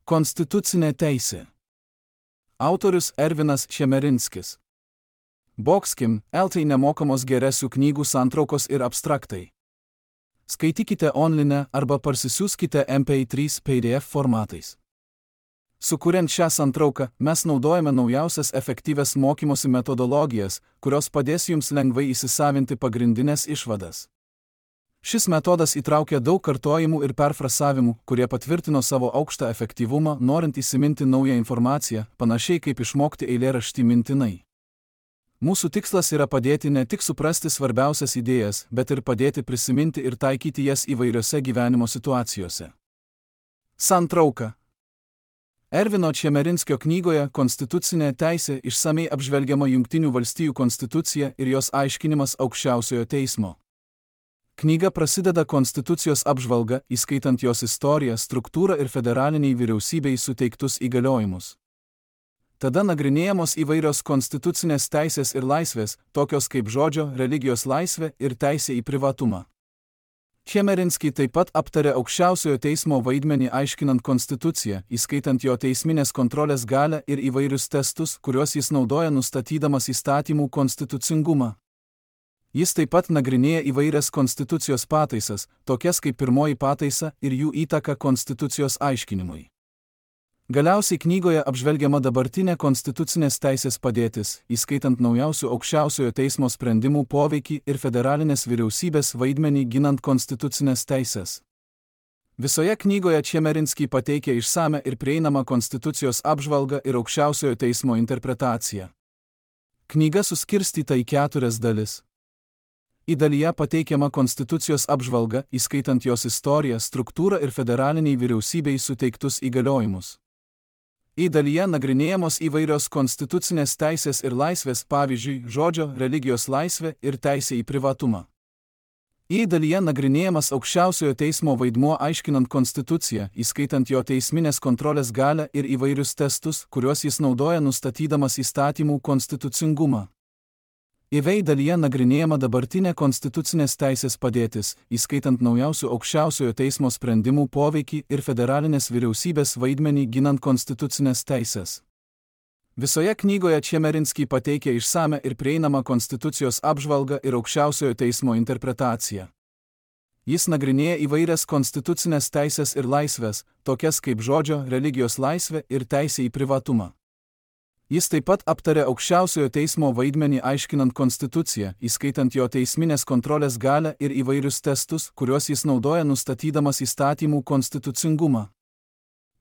Konstitucinė teisė. Autorius Ervinas Čemerinskis. Bokskim, LT nemokamos geresių knygų santraukos ir abstraktai. Skaitykite online arba parsisiųskite MP3 PDF formatais. Sukuriant šią santrauką, mes naudojame naujausias efektyvias mokymosi metodologijas, kurios padės jums lengvai įsisavinti pagrindinės išvadas. Šis metodas įtraukia daug kartojimų ir perfrasavimų, kurie patvirtino savo aukštą efektyvumą, norint įsiminti naują informaciją, panašiai kaip išmokti eilėraštį mintinai. Mūsų tikslas yra padėti ne tik suprasti svarbiausias idėjas, bet ir padėti prisiminti ir taikyti jas įvairiose gyvenimo situacijose. Santrauka. Ervino Čemerinskio knygoje Konstitucinė teisė išsamiai apžvelgiama Jungtinių valstijų konstitucija ir jos aiškinimas aukščiausiojo teismo. Knyga prasideda konstitucijos apžvalga, įskaitant jos istoriją, struktūrą ir federaliniai vyriausybei suteiktus įgaliojimus. Tada nagrinėjamos įvairios konstitucinės teisės ir laisvės, tokios kaip žodžio, religijos laisvė ir teisė į privatumą. Čemerinski taip pat aptarė aukščiausiojo teismo vaidmenį aiškinant konstituciją, įskaitant jo teisminės kontrolės galią ir įvairius testus, kuriuos jis naudoja nustatydamas įstatymų konstitucingumą. Jis taip pat nagrinėja įvairias konstitucijos pataisas, tokias kaip pirmoji pataisa ir jų įtaka konstitucijos aiškinimui. Galiausiai knygoje apžvelgiama dabartinė konstitucinės teisės padėtis, įskaitant naujausių aukščiausiojo teismo sprendimų poveikį ir federalinės vyriausybės vaidmenį ginant konstitucinės teisės. Visoje knygoje Čemerinski pateikia išsame ir prieinamą konstitucijos apžvalgą ir aukščiausiojo teismo interpretaciją. Knyga suskirstyta į 4 dalis. Į dalyje pateikiama konstitucijos apžvalga, įskaitant jos istoriją, struktūrą ir federaliniai vyriausybei suteiktus įgaliojimus. Į dalyje nagrinėjamos įvairios konstitucinės teisės ir laisvės, pavyzdžiui, žodžio, religijos laisvė ir teisė į privatumą. Į dalyje nagrinėjamas aukščiausiojo teismo vaidmuo aiškinant konstituciją, įskaitant jo teisminės kontrolės galią ir įvairius testus, kuriuos jis naudoja nustatydamas įstatymų konstitucingumą. Į dalyje nagrinėjama dabartinė konstitucinės teisės padėtis, įskaitant naujausių aukščiausiojo teismo sprendimų poveikį ir federalinės vyriausybės vaidmenį ginant konstitucinės teisės. Visoje knygoje Čemerinski pateikia išsame ir prieinamą konstitucijos apžvalgą ir aukščiausiojo teismo interpretaciją. Jis nagrinėja įvairias konstitucinės teisės ir laisvės, tokias kaip žodžio, religijos laisvė ir teisė į privatumą. Jis taip pat aptarė aukščiausiojo teismo vaidmenį aiškinant konstituciją, įskaitant jo teisminės kontrolės galią ir įvairius testus, kuriuos jis naudoja nustatydamas įstatymų konstitucingumą.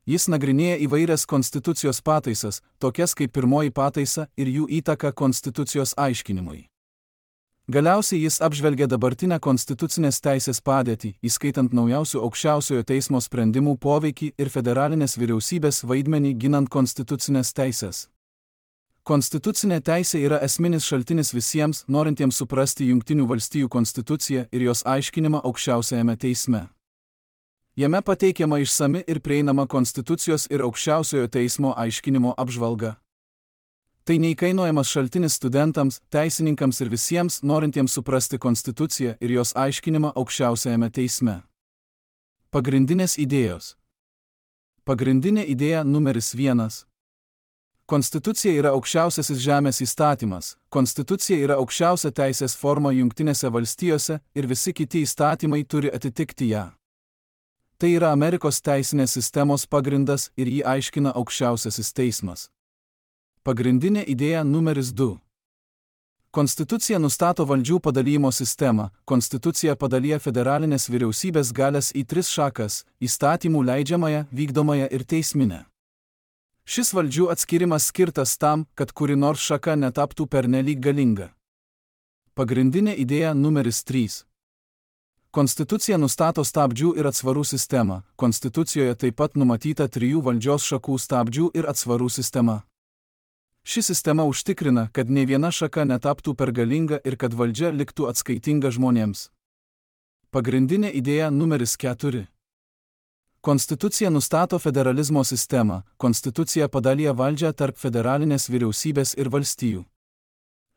Jis nagrinėja įvairias konstitucijos pataisas, tokias kaip pirmoji pataisa ir jų įtaka konstitucijos aiškinimui. Galiausiai jis apžvelgia dabartinę konstitucinės teisės padėtį, įskaitant naujausių aukščiausiojo teismo sprendimų poveikį ir federalinės vyriausybės vaidmenį ginant konstitucinės teisės. Konstitucinė teisė yra esminis šaltinis visiems, norintiems suprasti Jungtinių valstijų konstituciją ir jos aiškinimą aukščiausiajame teisme. Jame pateikiama išsami ir prieinama konstitucijos ir aukščiausiojo teismo aiškinimo apžvalga. Tai neįkainojamas šaltinis studentams, teisininkams ir visiems, norintiems suprasti konstituciją ir jos aiškinimą aukščiausiajame teisme. Pagrindinės idėjos. Pagrindinė idėja numeris 1. Konstitucija yra aukščiausiasis žemės įstatymas. Konstitucija yra aukščiausia teisės forma Jungtinėse valstijose ir visi kiti įstatymai turi atitikti ją. Tai yra Amerikos teisinės sistemos pagrindas ir jį aiškina aukščiausiasis teismas. Pagrindinė idėja numeris 2. Konstitucija nustato valdžių padalijimo sistemą. Konstitucija padalyja federalinės vyriausybės galias į 3 šakas – įstatymų leidžiamąją, vykdomąją ir teisminę. Šis valdžių atskirimas skirtas tam, kad kuri nors šaka netaptų pernelyg galinga. Pagrindinė idėja numeris 3. Konstitucija nustato stabdžių ir atsvarų sistemą. Konstitucijoje taip pat numatyta 3 valdžios šakų stabdžių ir atsvarų sistema. Ši sistema užtikrina, kad nei viena šaka netaptų per galinga ir kad valdžia liktų atskaitinga žmonėms. Pagrindinė idėja numeris 4. Konstitucija nustato federalizmo sistemą. Konstitucija padalyja valdžią tarp federalinės vyriausybės ir valstijų.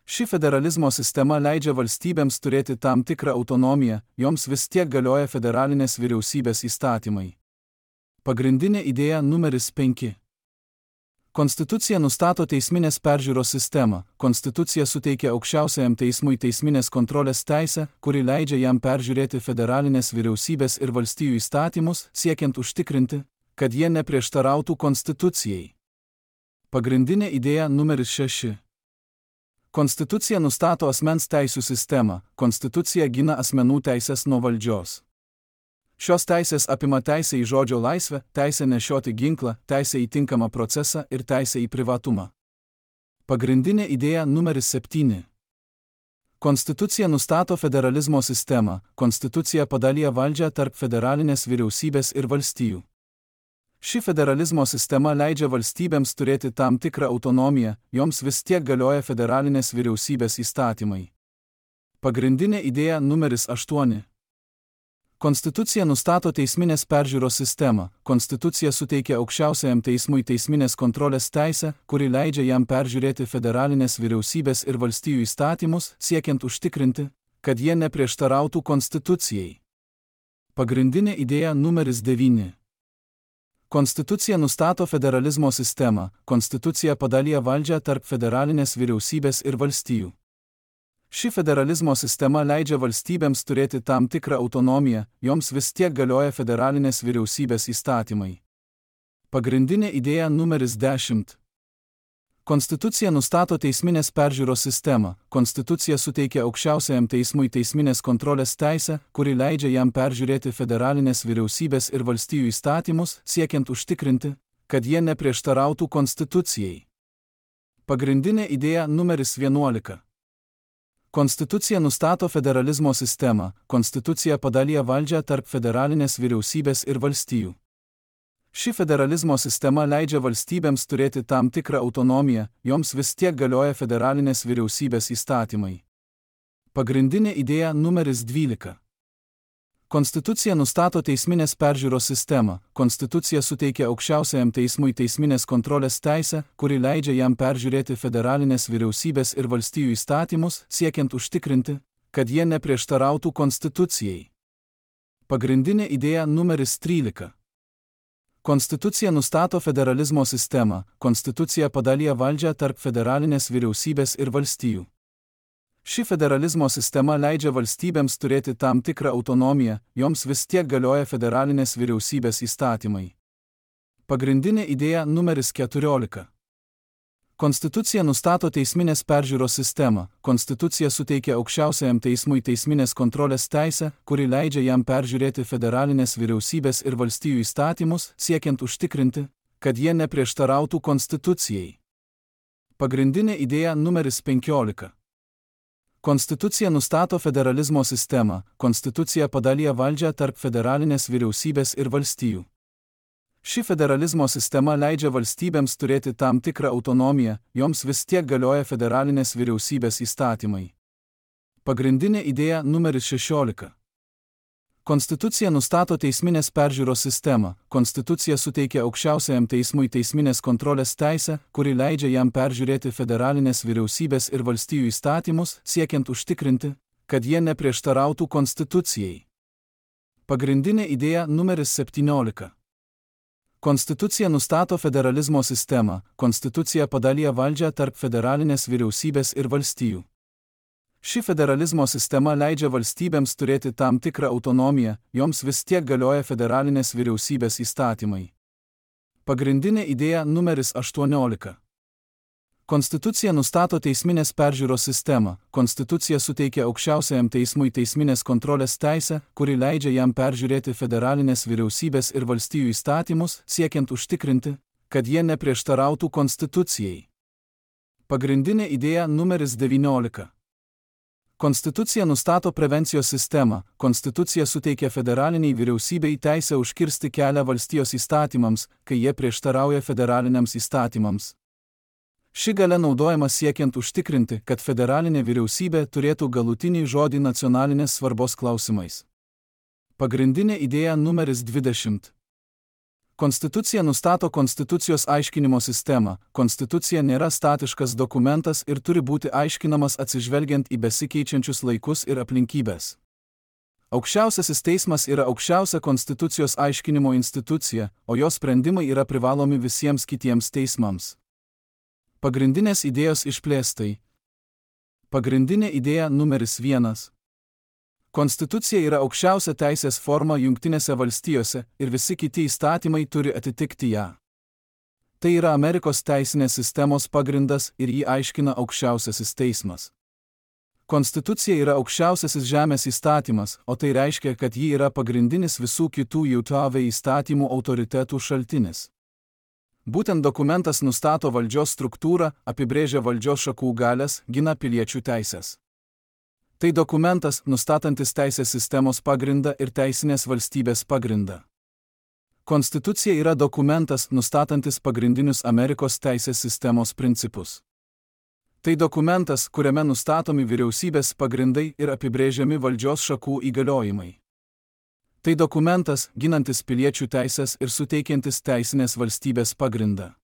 Ši federalizmo sistema leidžia valstybėms turėti tam tikrą autonomiją, joms vis tiek galioja federalinės vyriausybės įstatymai. Pagrindinė idėja numeris 5. Konstitucija nustato teisminės peržiūros sistemą. Konstitucija suteikia aukščiausiajam teismui teisminės kontrolės teisę, kuri leidžia jam peržiūrėti federalinės vyriausybės ir valstijų įstatymus, siekiant užtikrinti, kad jie neprieštarautų konstitucijai. Pagrindinė idėja numeris 6. Konstitucija nustato asmens teisių sistemą. Konstitucija gina asmenų teisės nuo valdžios. Šios teisės apima teisę į žodžio laisvę, teisę nešioti ginklą, teisę į tinkamą procesą ir teisę į privatumą. Pagrindinė idėja numeris 7. Konstitucija nustato federalizmo sistemą. Konstitucija padalija valdžią tarp federalinės vyriausybės ir valstijų. Ši federalizmo sistema leidžia valstybėms turėti tam tikrą autonomiją, joms vis tiek galioja federalinės vyriausybės įstatymai. Pagrindinė idėja numeris 8. Konstitucija nustato teisminės peržiūros sistemą. Konstitucija suteikia aukščiausiajam teismui teisminės kontrolės teisę, kuri leidžia jam peržiūrėti federalinės vyriausybės ir valstijų įstatymus, siekiant užtikrinti, kad jie neprieštarautų konstitucijai. Pagrindinė idėja numeris 9. Konstitucija nustato federalizmo sistemą. Konstitucija padalija valdžią tarp federalinės vyriausybės ir valstijų. Ši federalizmo sistema leidžia valstybėms turėti tam tikrą autonomiją, joms vis tiek galioja federalinės vyriausybės įstatymai. Pagrindinė idėja numeris 10. Konstitucija nustato teisminės peržiūros sistemą. Konstitucija suteikia aukščiausiajam teismui teisminės kontrolės teisę, kuri leidžia jam peržiūrėti federalinės vyriausybės ir valstijų įstatymus, siekiant užtikrinti, kad jie neprieštarautų konstitucijai. Pagrindinė idėja numeris 11. Konstitucija nustato federalizmo sistemą. Konstitucija padalija valdžią tarp federalinės vyriausybės ir valstijų. Ši federalizmo sistema leidžia valstybėms turėti tam tikrą autonomiją, joms vis tiek galioja federalinės vyriausybės įstatymai. Pagrindinė idėja numeris 12. Konstitucija nustato teisminės peržiūros sistemą. Konstitucija suteikia aukščiausiajam teismui teisminės kontrolės teisę, kuri leidžia jam peržiūrėti federalinės vyriausybės ir valstijų įstatymus, siekiant užtikrinti, kad jie neprieštarautų konstitucijai. Pagrindinė idėja numeris 13. Konstitucija nustato federalizmo sistemą. Konstitucija padalija valdžią tarp federalinės vyriausybės ir valstijų. Ši federalizmo sistema leidžia valstybėms turėti tam tikrą autonomiją, joms vis tiek galioja federalinės vyriausybės įstatymai. Pagrindinė idėja numeris 14. Konstitucija nustato teisminės peržiūros sistemą. Konstitucija suteikia aukščiausiajam teismui teisminės kontrolės teisę, kuri leidžia jam peržiūrėti federalinės vyriausybės ir valstijų įstatymus, siekiant užtikrinti, kad jie neprieštarautų konstitucijai. Pagrindinė idėja numeris 15. Konstitucija nustato federalizmo sistemą. Konstitucija padalija valdžią tarp federalinės vyriausybės ir valstijų. Ši federalizmo sistema leidžia valstybėms turėti tam tikrą autonomiją, joms vis tiek galioja federalinės vyriausybės įstatymai. Pagrindinė idėja numeris 16. Konstitucija nustato teisminės peržiūros sistemą. Konstitucija suteikia aukščiausiajam teismui teisminės kontrolės teisę, kuri leidžia jam peržiūrėti federalinės vyriausybės ir valstijų įstatymus, siekiant užtikrinti, kad jie neprieštarautų konstitucijai. Pagrindinė idėja numeris 17. Konstitucija nustato federalizmo sistemą. Konstitucija padalija valdžią tarp federalinės vyriausybės ir valstijų. Ši federalizmo sistema leidžia valstybėms turėti tam tikrą autonomiją, joms vis tiek galioja federalinės vyriausybės įstatymai. Pagrindinė idėja numeris 18. Konstitucija nustato teisminės peržiūros sistemą. Konstitucija suteikia aukščiausiajam teismui teisminės kontrolės teisę, kuri leidžia jam peržiūrėti federalinės vyriausybės ir valstijų įstatymus, siekiant užtikrinti, kad jie neprieštarautų konstitucijai. Pagrindinė idėja numeris 19. Konstitucija nustato prevencijos sistemą. Konstitucija suteikia federaliniai vyriausybei teisę užkirsti kelią valstijos įstatymams, kai jie prieštarauja federaliniams įstatymams. Ši galia naudojama siekiant užtikrinti, kad federalinė vyriausybė turėtų galutinį žodį nacionalinės svarbos klausimais. Pagrindinė idėja numeris 20. Konstitucija nustato konstitucijos aiškinimo sistemą. Konstitucija nėra statiškas dokumentas ir turi būti aiškinamas atsižvelgiant į besikeičiančius laikus ir aplinkybės. Aukščiausiasis teismas yra aukščiausia konstitucijos aiškinimo institucija, o jos sprendimai yra privalomi visiems kitiems teismams. Pagrindinės idėjos išplėstai. Pagrindinė idėja numeris 1. Konstitucija yra aukščiausia teisės forma Jungtinėse valstijose ir visi kiti įstatymai turi atitikti ją. Tai yra Amerikos teisinės sistemos pagrindas ir jį aiškina aukščiausiasis teismas. Konstitucija yra aukščiausiasis žemės įstatymas, o tai reiškia, kad ji yra pagrindinis visų kitų JAV įstatymų autoritetų šaltinis. Būtent dokumentas nustato valdžios struktūrą, apibrėžia valdžios šakų galias, gina piliečių teisės. Tai dokumentas, nustatantis teisės sistemos pagrindą ir teisinės valstybės pagrindą. Konstitucija yra dokumentas, nustatantis pagrindinius Amerikos teisės sistemos principus. Tai dokumentas, kuriame nustatomi vyriausybės pagrindai ir apibrėžiami valdžios šakų įgaliojimai. Tai dokumentas, ginantis piliečių teisės ir suteikiantis teisinės valstybės pagrindą.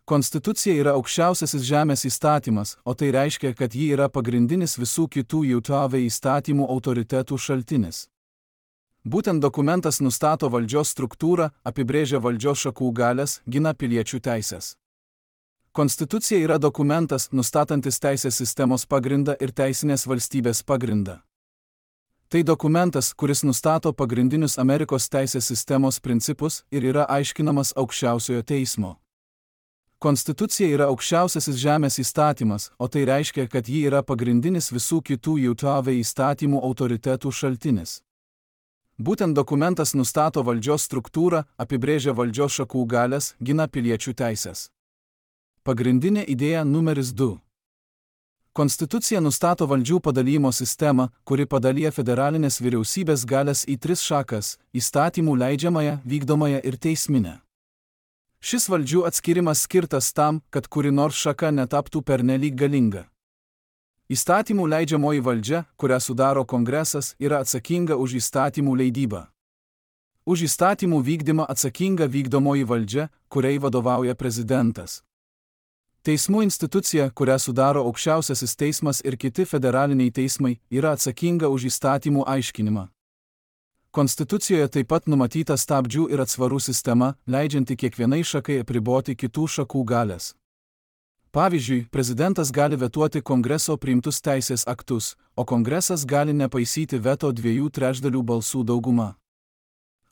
Konstitucija yra aukščiausiasis žemės įstatymas, o tai reiškia, kad ji yra pagrindinis visų kitų JAV įstatymų autoritetų šaltinis. Būtent dokumentas nustato valdžios struktūrą, apibrėžia valdžios šakų galias, gina piliečių teisės. Konstitucija yra dokumentas, nustatantis teisės sistemos pagrindą ir teisinės valstybės pagrindą. Tai dokumentas, kuris nustato pagrindinius Amerikos teisės sistemos principus ir yra aiškinamas aukščiausiojo teismo. Konstitucija yra aukščiausiasis žemės įstatymas, o tai reiškia, kad ji yra pagrindinis visų kitų JAV įstatymų autoritetų šaltinis. Būtent dokumentas nustato valdžios struktūrą, apibrėžia valdžios šakų galias, gina piliečių teisės. Pagrindinė idėja numeris 2. Konstitucija nustato valdžių padalijimo sistemą, kuri padalyja federalinės vyriausybės galias į 3 šakas – įstatymų leidžiamąją, vykdomąją ir teisminę. Šis valdžių atskirimas skirtas tam, kad kuri nors šaka netaptų pernelyg galinga. Įstatymų leidžiamoji valdžia, kurią sudaro Kongresas, yra atsakinga už įstatymų leidybą. Už įstatymų vykdymą atsakinga vykdomoji valdžia, kuriai vadovauja prezidentas. Teismų institucija, kurią sudaro aukščiausiasis teismas ir kiti federaliniai teismai, yra atsakinga už įstatymų aiškinimą. Konstitucijoje taip pat numatyta stabdžių ir atsvarų sistema, leidžianti kiekvienai šakai apriboti kitų šakų galias. Pavyzdžiui, prezidentas gali vetuoti Kongreso priimtus teisės aktus, o Kongresas gali nepaisyti veto 2/3 balsų dauguma.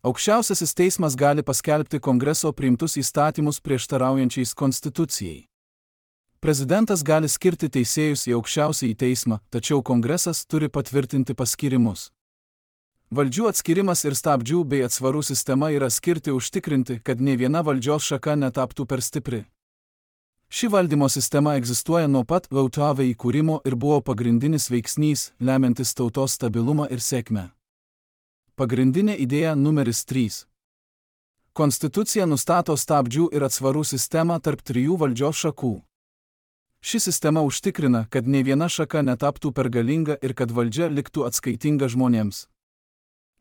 Aukščiausiasis teismas gali paskelbti Kongreso priimtus įstatymus prieštaraujančiais Konstitucijai. Prezidentas gali skirti teisėjus į aukščiausiąjį teismą, tačiau Kongresas turi patvirtinti paskirimus. Valdžių atskirimas ir stabdžių bei atsvarų sistema yra skirti užtikrinti, kad nė viena valdžios šaka netaptų per stipri. Ši valdymo sistema egzistuoja nuo pat JAV įkūrimo ir buvo pagrindinis veiksnys, lemiantis tautos stabilumą ir sėkmę. Pagrindinė idėja numeris 3. Konstitucija nustato stabdžių ir atsvarų sistemą tarp 3 valdžios šakų. Ši sistema užtikrina, kad nė viena šaka netaptų per galinga ir kad valdžia liktų atskaitinga žmonėms.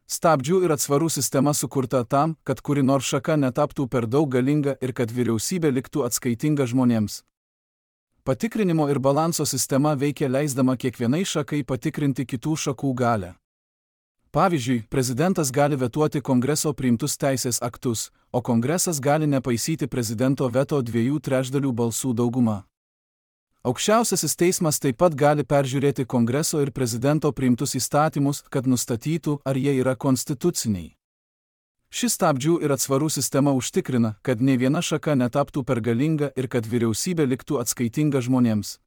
Stabdžių ir atsvarų sistema sukurta tam, kad kuri nors šaka netaptų per daug galinga ir kad vyriausybė liktų atskaitinga žmonėms. Patikrinimo ir balanso sistema veikia leisdama kiekvienai šakai patikrinti kitų šakų galią. Pavyzdžiui, prezidentas gali vetuoti Kongreso priimtus teisės aktus, o Kongresas gali nepaisyti prezidento veto 2/3 balsų dauguma. Aukščiausiasis teismas taip pat gali peržiūrėti Kongreso ir prezidento priimtus įstatymus, kad nustatytų, ar jie yra konstituciniai. Ši stabdžių ir atsvarų sistema užtikrina, kad nė viena šaka netaptų per galinga ir kad vyriausybė liktų atskaitinga žmonėms.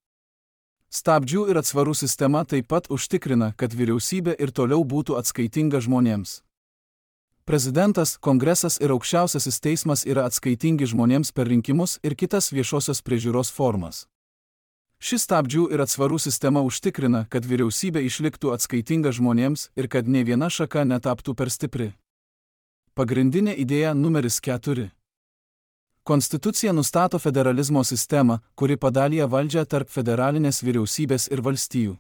Stabdžių ir atsvarų sistema taip pat užtikrina, kad vyriausybė ir toliau būtų atskaitinga žmonėms. Prezidentas, Kongresas ir aukščiausiasis teismas yra atskaitingi žmonėms per rinkimus ir kitas viešosios priežiūros formas. Ši stabdžių ir atsvarų sistema užtikrina, kad vyriausybė išliktų atskaitinga žmonėms ir kad nė viena šaka netaptų per stipri. Pagrindinė idėja numeris 4. Konstitucija nustato federalizmo sistemą, kuri padalyja valdžią tarp federalinės vyriausybės ir valstijų.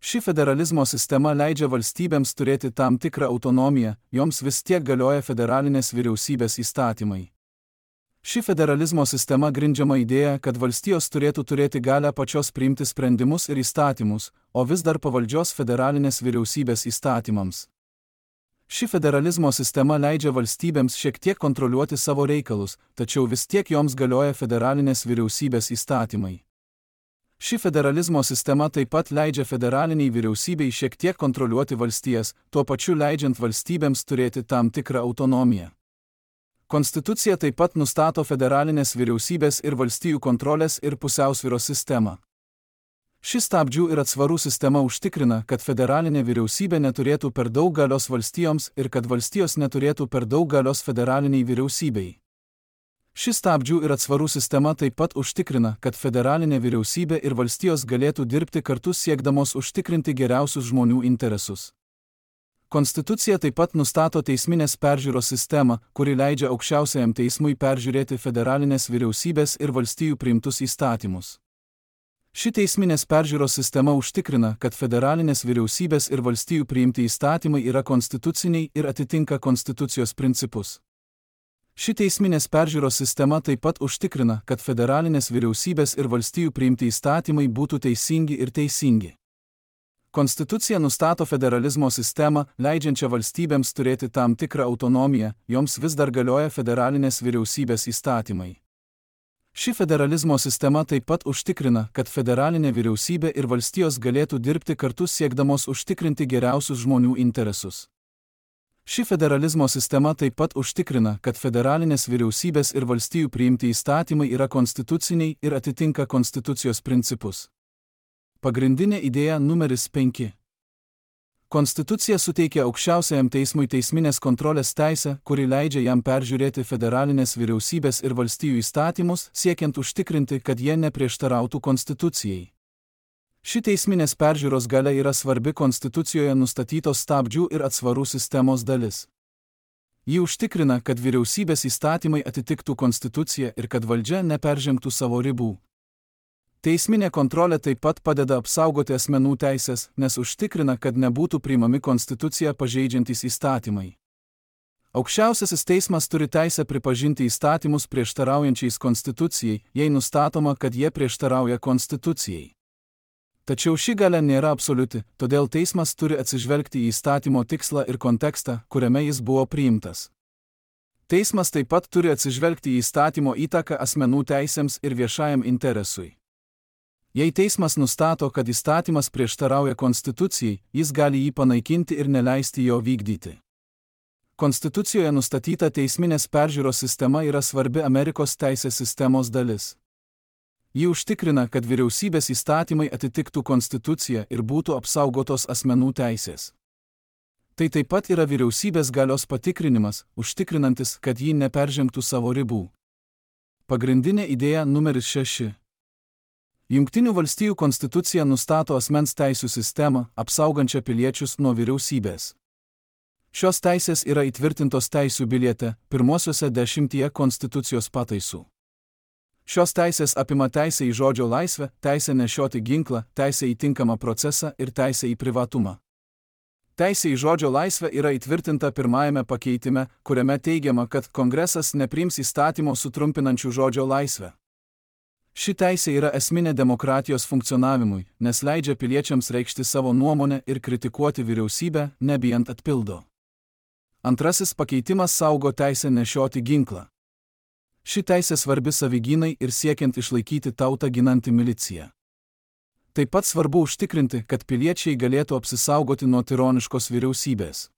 Ši federalizmo sistema leidžia valstybėms turėti tam tikrą autonomiją, joms vis tiek galioja federalinės vyriausybės įstatymai. Ši federalizmo sistema grindžiama idėja, kad valstijos turėtų turėti galią pačios priimti sprendimus ir įstatymus, o vis dar pavaldžios federalinės vyriausybės įstatymams. Ši federalizmo sistema leidžia valstybėms šiek tiek kontroliuoti savo reikalus, tačiau vis tiek joms galioja federalinės vyriausybės įstatymai. Ši federalizmo sistema taip pat leidžia federaliniai vyriausybei šiek tiek kontroliuoti valstijas, tuo pačiu leidžiant valstybėms turėti tam tikrą autonomiją. Konstitucija taip pat nustato federalinės vyriausybės ir valstijų kontrolės ir pusiausvyros sistemą. Ši stabdžių ir atsvarų sistema užtikrina, kad federalinė vyriausybė neturėtų per daug galios valstijoms ir kad valstijos neturėtų per daug galios federaliniai vyriausybei. Ši stabdžių ir atsvarų sistema taip pat užtikrina, kad federalinė vyriausybė ir valstijos galėtų dirbti kartu siekdamos užtikrinti geriausius žmonių interesus. Konstitucija taip pat nustato teisminės peržiūros sistemą, kuri leidžia aukščiausiajam teismui peržiūrėti federalinės vyriausybės ir valstijų priimtus įstatymus. Ši teisminės peržiūros sistema užtikrina, kad federalinės vyriausybės ir valstijų priimti įstatymai yra konstituciniai ir atitinka konstitucijos principus. Ši teisminės peržiūros sistema taip pat užtikrina, kad federalinės vyriausybės ir valstijų priimti įstatymai būtų teisingi ir teisingi. Konstitucija nustato federalizmo sistemą, leidžiančią valstybėms turėti tam tikrą autonomiją, joms vis dar galioja federalinės vyriausybės įstatymai. Ši federalizmo sistema taip pat užtikrina, kad federalinė vyriausybė ir valstijos galėtų dirbti kartu siekdamos užtikrinti geriausius žmonių interesus. Ši federalizmo sistema taip pat užtikrina, kad federalinės vyriausybės ir valstijų priimti įstatymai yra konstituciniai ir atitinka konstitucijos principus. Pagrindinė idėja numeris 5. Konstitucija suteikia aukščiausiajam teismui teisminės kontrolės teisę, kuri leidžia jam peržiūrėti federalinės vyriausybės ir valstijų įstatymus, siekiant užtikrinti, kad jie neprieštarautų konstitucijai. Ši teisminės peržiūros galia yra svarbi konstitucijoje nustatytos stabdžių ir atsvarų sistemos dalis. Ji užtikrina, kad vyriausybės įstatymai atitiktų konstituciją ir kad valdžia neperžengtų savo ribų. Teisminė kontrolė taip pat padeda apsaugoti asmenų teisės, nes užtikrina, kad nebūtų priimami konstituciją pažeidžiantys įstatymai. Aukščiausiasis teismas turi teisę pripažinti įstatymus prieštaraujančiais konstitucijai, jei nustatoma, kad jie prieštarauja konstitucijai. Tačiau ši galia nėra absoliuti, todėl teismas turi atsižvelgti į įstatymo tikslą ir kontekstą, kuriame jis buvo priimtas. Teismas taip pat turi atsižvelgti į įstatymo įtaką asmenų teisėms ir viešajam interesui. Jei teismas nustato, kad įstatymas prieštarauja konstitucijai, jis gali jį panaikinti ir neleisti jo vykdyti. Konstitucijoje nustatyta teisminės peržiūros sistema yra svarbi Amerikos teisės sistemos dalis. Ji užtikrina, kad vyriausybės įstatymai atitiktų konstituciją ir būtų apsaugotos asmenų teisės. Tai taip pat yra vyriausybės galios patikrinimas, užtikrinantis, kad ji neperžengtų savo ribų. Pagrindinė idėja numeris 6. Jungtinių valstijų konstitucija nustato asmens teisių sistemą, apsaugančią piliečius nuo vyriausybės. Šios teisės yra įtvirtintos teisių biliete, pirmosiuose 10 konstitucijos pataisų. Šios teisės apima teisę į žodžio laisvę, teisę nešioti ginklą, teisę į tinkamą procesą ir teisę į privatumą. Teisė į žodžio laisvę yra įtvirtinta pirmajame pakeitime, kuriame teigiama, kad Kongresas nepriims įstatymo sutrumpinančių žodžio laisvę. Ši teisė yra esminė demokratijos funkcionavimui, nes leidžia piliečiams reikšti savo nuomonę ir kritikuoti vyriausybę, nebijant atpildo. Antrasis pakeitimas saugo teisę nešioti ginklą. Ši teisė svarbi savigynai ir siekiant išlaikyti tautą ginanti milicija. Taip pat svarbu užtikrinti, kad piliečiai galėtų apsisaugoti nuo tironiškos vyriausybės.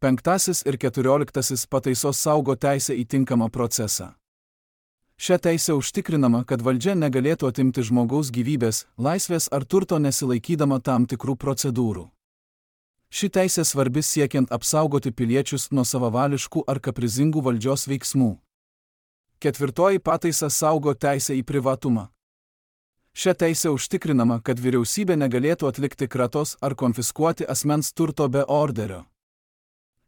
5 ir 14 pataisos saugo teisę į tinkamą procesą. Šia teisė užtikrinama, kad valdžia negalėtų atimti žmogaus gyvybės, laisvės ar turto nesilaikydama tam tikrų procedūrų. Ši teisė svarbi siekiant apsaugoti piliečius nuo savavališkų ar kaprizingų valdžios veiksmų. 4 pataisa saugo teisę į privatumą. Šia teisė užtikrinama, kad vyriausybė negalėtų atlikti kratos ar konfiskuoti asmens turto be orderio.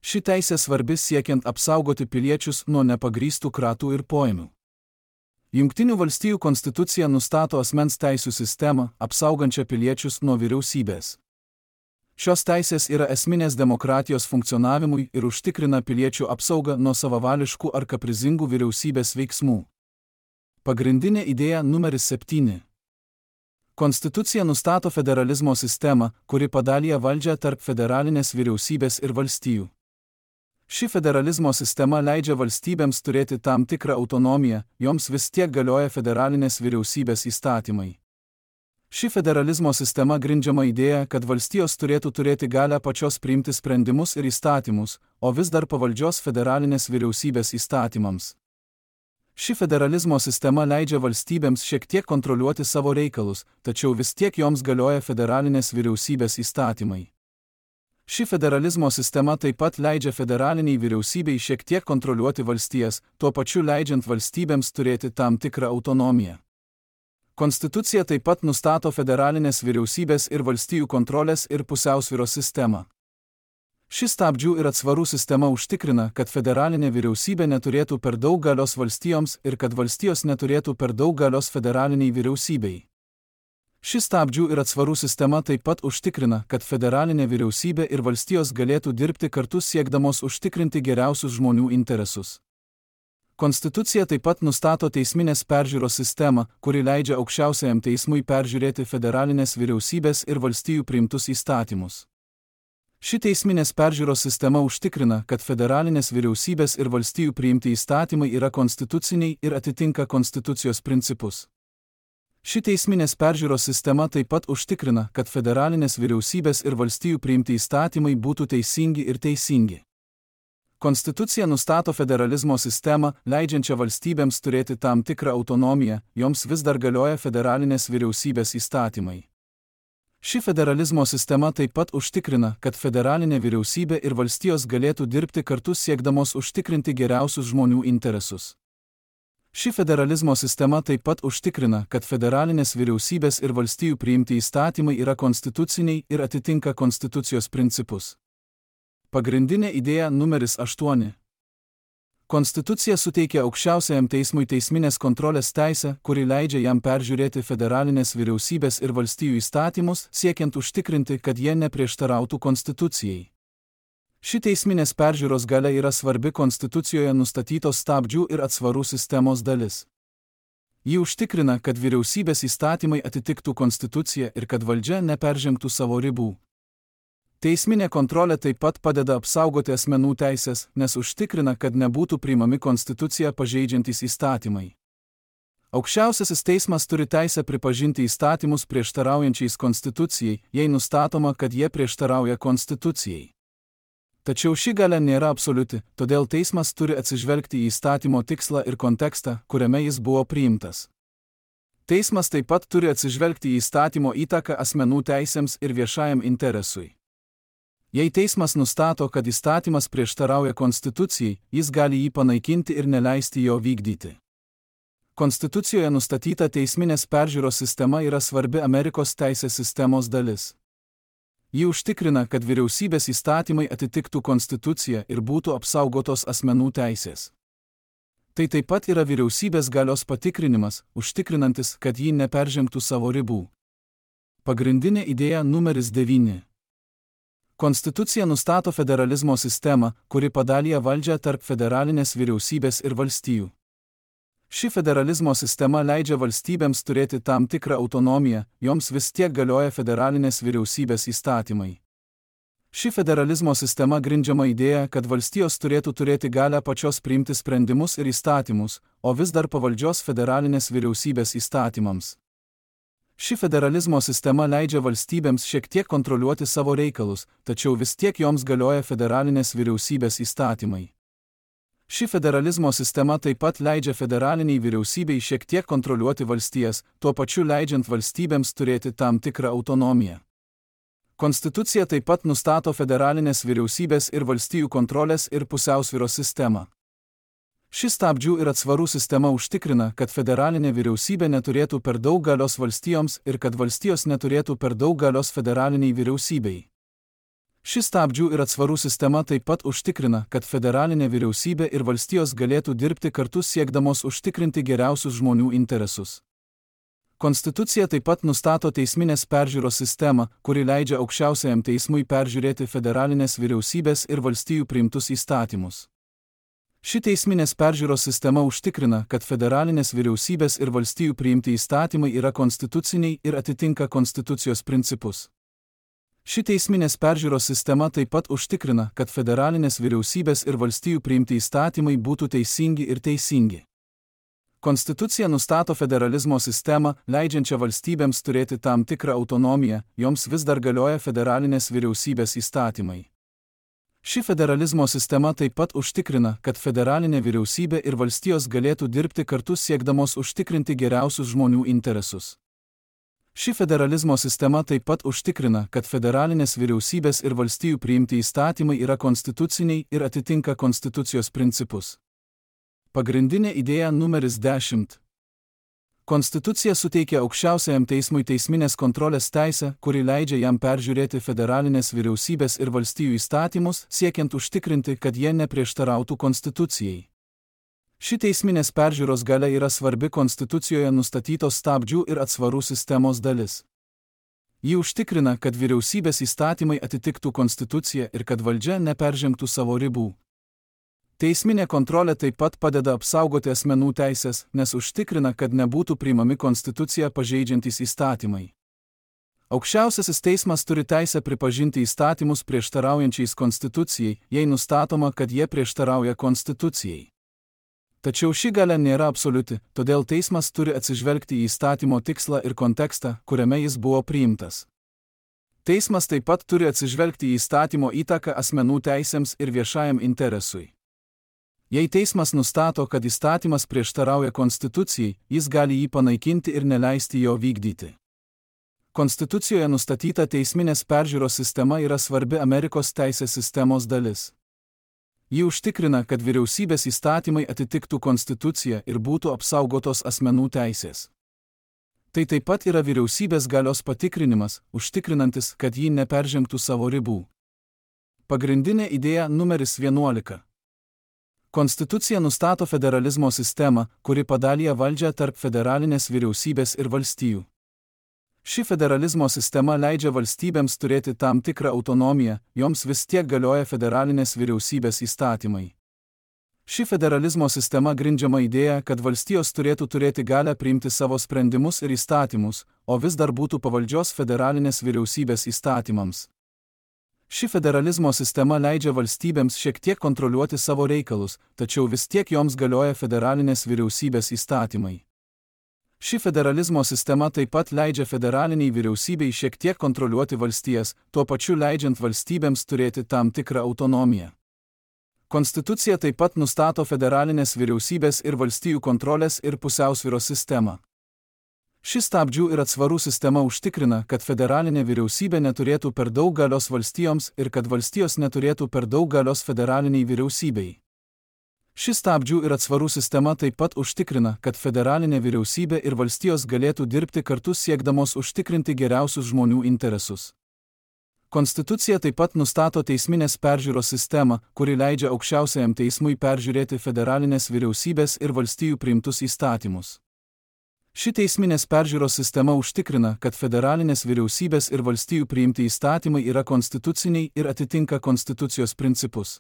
Ši teisė svarbi siekiant apsaugoti piliečius nuo nepagrįstų kratų ir poėmių. Jungtinių valstijų konstitucija nustato asmens teisių sistemą, apsaugančią piliečius nuo vyriausybės. Šios teisės yra esminės demokratijos funkcionavimui ir užtikrina piliečių apsaugą nuo savavališkų ar kaprizingų vyriausybės veiksmų. Pagrindinė idėja numeris 7. Konstitucija nustato federalizmo sistemą, kuri padalyja valdžią tarp federalinės vyriausybės ir valstijų. Ši federalizmo sistema leidžia valstybėms turėti tam tikrą autonomiją, joms vis tiek galioja federalinės vyriausybės įstatymai. Ši federalizmo sistema grindžiama idėja, kad valstijos turėtų turėti galią pačios priimti sprendimus ir įstatymus, o vis dar pavaldžios federalinės vyriausybės įstatymams. Ši federalizmo sistema leidžia valstybėms šiek tiek kontroliuoti savo reikalus, tačiau vis tiek joms galioja federalinės vyriausybės įstatymai. Ši federalizmo sistema taip pat leidžia federaliniai vyriausybei šiek tiek kontroliuoti valstijas, tuo pačiu leidžiant valstybėms turėti tam tikrą autonomiją. Konstitucija taip pat nustato federalinės vyriausybės ir valstijų kontrolės ir pusiausvyros sistemą. Ši stabdžių ir atsvarų sistema užtikrina, kad federalinė vyriausybė neturėtų per daug galios valstijoms ir kad valstijos neturėtų per daug galios federaliniai vyriausybei. Ši stabdžių ir atsvarų sistema taip pat užtikrina, kad federalinė vyriausybė ir valstijos galėtų dirbti kartu siekdamos užtikrinti geriausius žmonių interesus. Konstitucija taip pat nustato teisminės peržiūros sistemą, kuri leidžia aukščiausiajam teismui peržiūrėti federalinės vyriausybės ir valstijų priimtus įstatymus. Ši teisminės peržiūros sistema užtikrina, kad federalinės vyriausybės ir valstijų priimti įstatymai yra konstituciniai ir atitinka konstitucijos principus. Ši teisminės peržiūros sistema taip pat užtikrina, kad federalinės vyriausybės ir valstijų priimti įstatymai būtų teisingi ir teisingi. Konstitucija nustato federalizmo sistemą, leidžiančią valstybėms turėti tam tikrą autonomiją, joms vis dar galioja federalinės vyriausybės įstatymai. Ši federalizmo sistema taip pat užtikrina, kad federalinė vyriausybė ir valstijos galėtų dirbti kartu siekdamos užtikrinti geriausius žmonių interesus. Ši federalizmo sistema taip pat užtikrina, kad federalinės vyriausybės ir valstijų priimti įstatymai yra konstituciniai ir atitinka konstitucijos principus. Pagrindinė idėja numeris 8. Konstitucija suteikia aukščiausiajam teismui teisminės kontrolės teisę, kuri leidžia jam peržiūrėti federalinės vyriausybės ir valstijų įstatymus, siekiant užtikrinti, kad jie neprieštarautų konstitucijai. Ši teisminės peržiūros galia yra svarbi konstitucijoje nustatytos stabdžių ir atsvarų sistemos dalis. Ji užtikrina, kad vyriausybės įstatymai atitiktų konstituciją ir kad valdžia neperžengtų savo ribų. Teisminė kontrolė taip pat padeda apsaugoti asmenų teisės, nes užtikrina, kad nebūtų priimami konstituciją pažeidžiantys įstatymai. Aukščiausiasis teismas turi teisę pripažinti įstatymus prieštaraujančiais konstitucijai, jei nustatoma, kad jie prieštarauja konstitucijai. Tačiau ši galia nėra absoliuti, todėl teismas turi atsižvelgti į įstatymo tikslą ir kontekstą, kuriame jis buvo priimtas. Teismas taip pat turi atsižvelgti į įstatymo įtaką asmenų teisėms ir viešajam interesui. Jei teismas nustato, kad įstatymas prieštarauja konstitucijai, jis gali jį panaikinti ir neleisti jo vykdyti. Konstitucijoje nustatyta teisminės peržiūros sistema yra svarbi Amerikos teisės sistemos dalis. Ji užtikrina, kad vyriausybės įstatymai atitiktų konstituciją ir būtų apsaugotos asmenų teisės. Tai taip pat yra vyriausybės galios patikrinimas, užtikrinantis, kad ji neperžengtų savo ribų. Pagrindinė idėja numeris 9. Konstitucija nustato federalizmo sistemą, kuri padalyja valdžią tarp federalinės vyriausybės ir valstijų. Ši federalizmo sistema leidžia valstybėms turėti tam tikrą autonomiją, joms vis tiek galioja federalinės vyriausybės įstatymai. Ši federalizmo sistema grindžiama idėja, kad valstijos turėtų turėti galią pačios priimti sprendimus ir įstatymus, o vis dar pavaldžios federalinės vyriausybės įstatymams. Ši federalizmo sistema leidžia valstybėms šiek tiek kontroliuoti savo reikalus, tačiau vis tiek joms galioja federalinės vyriausybės įstatymai. Ši federalizmo sistema taip pat leidžia federaliniai vyriausybei šiek tiek kontroliuoti valstijas, tuo pačiu leidžiant valstybėms turėti tam tikrą autonomiją. Konstitucija taip pat nustato federalinės vyriausybės ir valstijų kontrolės ir pusiausvyros sistemą. Ši stabdžių ir atsvarų sistema užtikrina, kad federalinė vyriausybė neturėtų per daug galios valstijoms ir kad valstijos neturėtų per daug galios federaliniai vyriausybei. Ši stabdžių ir atsvarų sistema taip pat užtikrina, kad federalinė vyriausybė ir valstijos galėtų dirbti kartu siekdamos užtikrinti geriausius žmonių interesus. Konstitucija taip pat nustato teisminės peržiūros sistemą, kuri leidžia aukščiausiajam teismui peržiūrėti federalinės vyriausybės ir valstijų priimtus įstatymus. Ši teisminės peržiūros sistema užtikrina, kad federalinės vyriausybės ir valstijų priimti įstatymai yra konstituciniai ir atitinka konstitucijos principus. Ši teisminės peržiūros sistema taip pat užtikrina, kad federalinės vyriausybės ir valstijų priimti įstatymai būtų teisingi ir teisingi. Konstitucija nustato federalizmo sistemą, leidžiančią valstybėms turėti tam tikrą autonomiją, joms vis dar galioja federalinės vyriausybės įstatymai. Ši federalizmo sistema taip pat užtikrina, kad federalinė vyriausybė ir valstijos galėtų dirbti kartu siekdamos užtikrinti geriausius žmonių interesus. Ši federalizmo sistema taip pat užtikrina, kad federalinės vyriausybės ir valstijų priimti įstatymai yra konstituciniai ir atitinka konstitucijos principus. Pagrindinė idėja numeris 10. Konstitucija suteikia aukščiausiajam teismui teisminės kontrolės teisę, kuri leidžia jam peržiūrėti federalinės vyriausybės ir valstijų įstatymus, siekiant užtikrinti, kad jie neprieštarautų konstitucijai. Ši teisminės peržiūros galia yra svarbi Konstitucijoje nustatytos stabdžių ir atsvarų sistemos dalis. Ji užtikrina, kad vyriausybės įstatymai atitiktų Konstituciją ir kad valdžia neperžengtų savo ribų. Teisminė kontrolė taip pat padeda apsaugoti asmenų teisės, nes užtikrina, kad nebūtų priimami Konstituciją pažeidžiantys įstatymai. Aukščiausiasis teismas turi teisę pripažinti įstatymus prieštaraujančiais Konstitucijai, jei nustatoma, kad jie prieštarauja Konstitucijai. Tačiau ši galia nėra absoliuti, todėl teismas turi atsižvelgti į įstatymo tikslą ir kontekstą, kuriame jis buvo priimtas. Teismas taip pat turi atsižvelgti į įstatymo įtaką asmenų teisėms ir viešajam interesui. Jei teismas nustato, kad įstatymas prieštarauja Konstitucijai, jis gali jį panaikinti ir neleisti jo vykdyti. Konstitucijoje nustatyta teisminės peržiūros sistema yra svarbi Amerikos teisės sistemos dalis. Ji užtikrina, kad vyriausybės įstatymai atitiktų Konstituciją ir būtų apsaugotos asmenų teisės. Tai taip pat yra vyriausybės galios patikrinimas, užtikrinantis, kad ji neperžengtų savo ribų. Pagrindinė idėja numeris 11. Konstitucija nustato federalizmo sistemą, kuri padalija valdžią tarp federalinės vyriausybės ir valstijų. Ši federalizmo sistema leidžia valstybėms turėti tam tikrą autonomiją, joms vis tiek galioja federalinės vyriausybės įstatymai. Ši federalizmo sistema grindžiama idėja, kad valstijos turėtų turėti galią priimti savo sprendimus ir įstatymus, o vis dar būtų pavaldžios federalinės vyriausybės įstatymams. Ši federalizmo sistema leidžia valstybėms šiek tiek kontroliuoti savo reikalus, tačiau vis tiek joms galioja federalinės vyriausybės įstatymai. Ši federalizmo sistema taip pat leidžia federaliniai vyriausybei šiek tiek kontroliuoti valstijas, tuo pačiu leidžiant valstybėms turėti tam tikrą autonomiją. Konstitucija taip pat nustato federalinės vyriausybės ir valstijų kontrolės ir pusiausvyros sistemą. Ši stabdžių ir atsvarų sistema užtikrina, kad federalinė vyriausybė neturėtų per daug galios valstijoms ir kad valstijos neturėtų per daug galios federaliniai vyriausybei. Ši stabdžių ir atsvarų sistema taip pat užtikrina, kad federalinė vyriausybė ir valstijos galėtų dirbti kartu siekdamos užtikrinti geriausius žmonių interesus. Konstitucija taip pat nustato teisminės peržiūros sistemą, kuri leidžia aukščiausiajam teismui peržiūrėti federalinės vyriausybės ir valstijų priimtus įstatymus. Ši teisminės peržiūros sistema užtikrina, kad federalinės vyriausybės ir valstijų priimti įstatymai yra konstituciniai ir atitinka konstitucijos principus.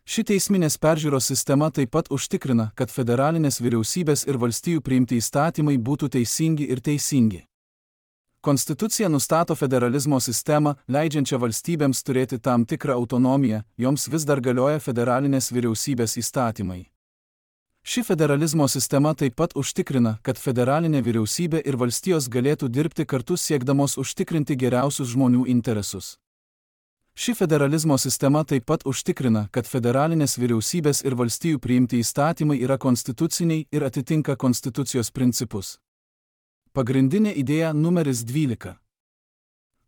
Ši teisminės peržiūros sistema taip pat užtikrina, kad federalinės vyriausybės ir valstijų priimti įstatymai būtų teisingi ir teisingi. Konstitucija nustato federalizmo sistemą, leidžiančią valstybėms turėti tam tikrą autonomiją, joms vis dar galioja federalinės vyriausybės įstatymai. Ši federalizmo sistema taip pat užtikrina, kad federalinė vyriausybė ir valstijos galėtų dirbti kartu siekdamos užtikrinti geriausius žmonių interesus. Ši federalizmo sistema taip pat užtikrina, kad federalinės vyriausybės ir valstijų priimti įstatymai yra konstituciniai ir atitinka konstitucijos principus. Pagrindinė idėja numeris 12.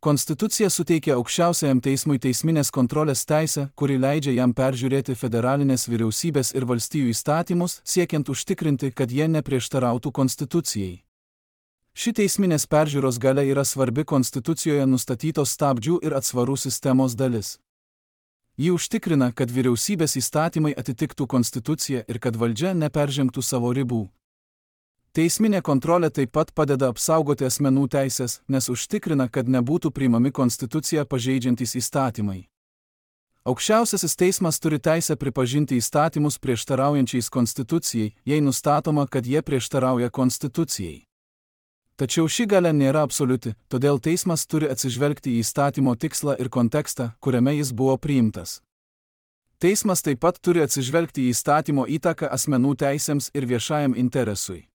Konstitucija suteikia aukščiausiajam teismui teisminės kontrolės teisę, kuri leidžia jam peržiūrėti federalinės vyriausybės ir valstijų įstatymus, siekiant užtikrinti, kad jie neprieštarautų Konstitucijai. Ši teisminės peržiūros galia yra svarbi Konstitucijoje nustatytos stabdžių ir atsvarų sistemos dalis. Ji užtikrina, kad vyriausybės įstatymai atitiktų Konstituciją ir kad valdžia neperžengtų savo ribų. Teisminė kontrolė taip pat padeda apsaugoti asmenų teisės, nes užtikrina, kad nebūtų priimami konstituciją pažeidžiantys įstatymai. Aukščiausiasis teismas turi teisę pripažinti įstatymus prieštaraujančiais konstitucijai, jei nustatoma, kad jie prieštarauja konstitucijai. Tačiau ši galia nėra absoliuti, todėl teismas turi atsižvelgti į įstatymo tikslą ir kontekstą, kuriame jis buvo priimtas. Teismas taip pat turi atsižvelgti į įstatymo įtaką asmenų teisėms ir viešajam interesui.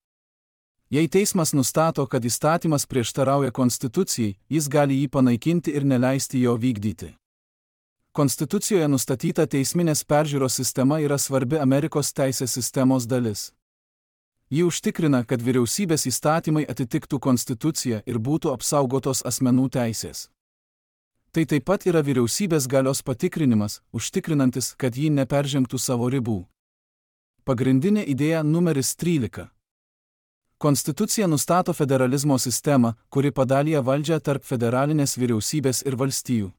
Jei teismas nustato, kad įstatymas prieštarauja konstitucijai, jis gali jį panaikinti ir neleisti jo vykdyti. Konstitucijoje nustatyta teisminės peržiūros sistema yra svarbi Amerikos teisės sistemos dalis. Ji užtikrina, kad vyriausybės įstatymai atitiktų konstituciją ir būtų apsaugotos asmenų teisės. Tai taip pat yra vyriausybės galios patikrinimas, užtikrinantis, kad ji neperžengtų savo ribų. Pagrindinė idėja numeris 13. Konstitucija nustato federalizmo sistemą, kuri padalija valdžią tarp federalinės vyriausybės ir valstijų.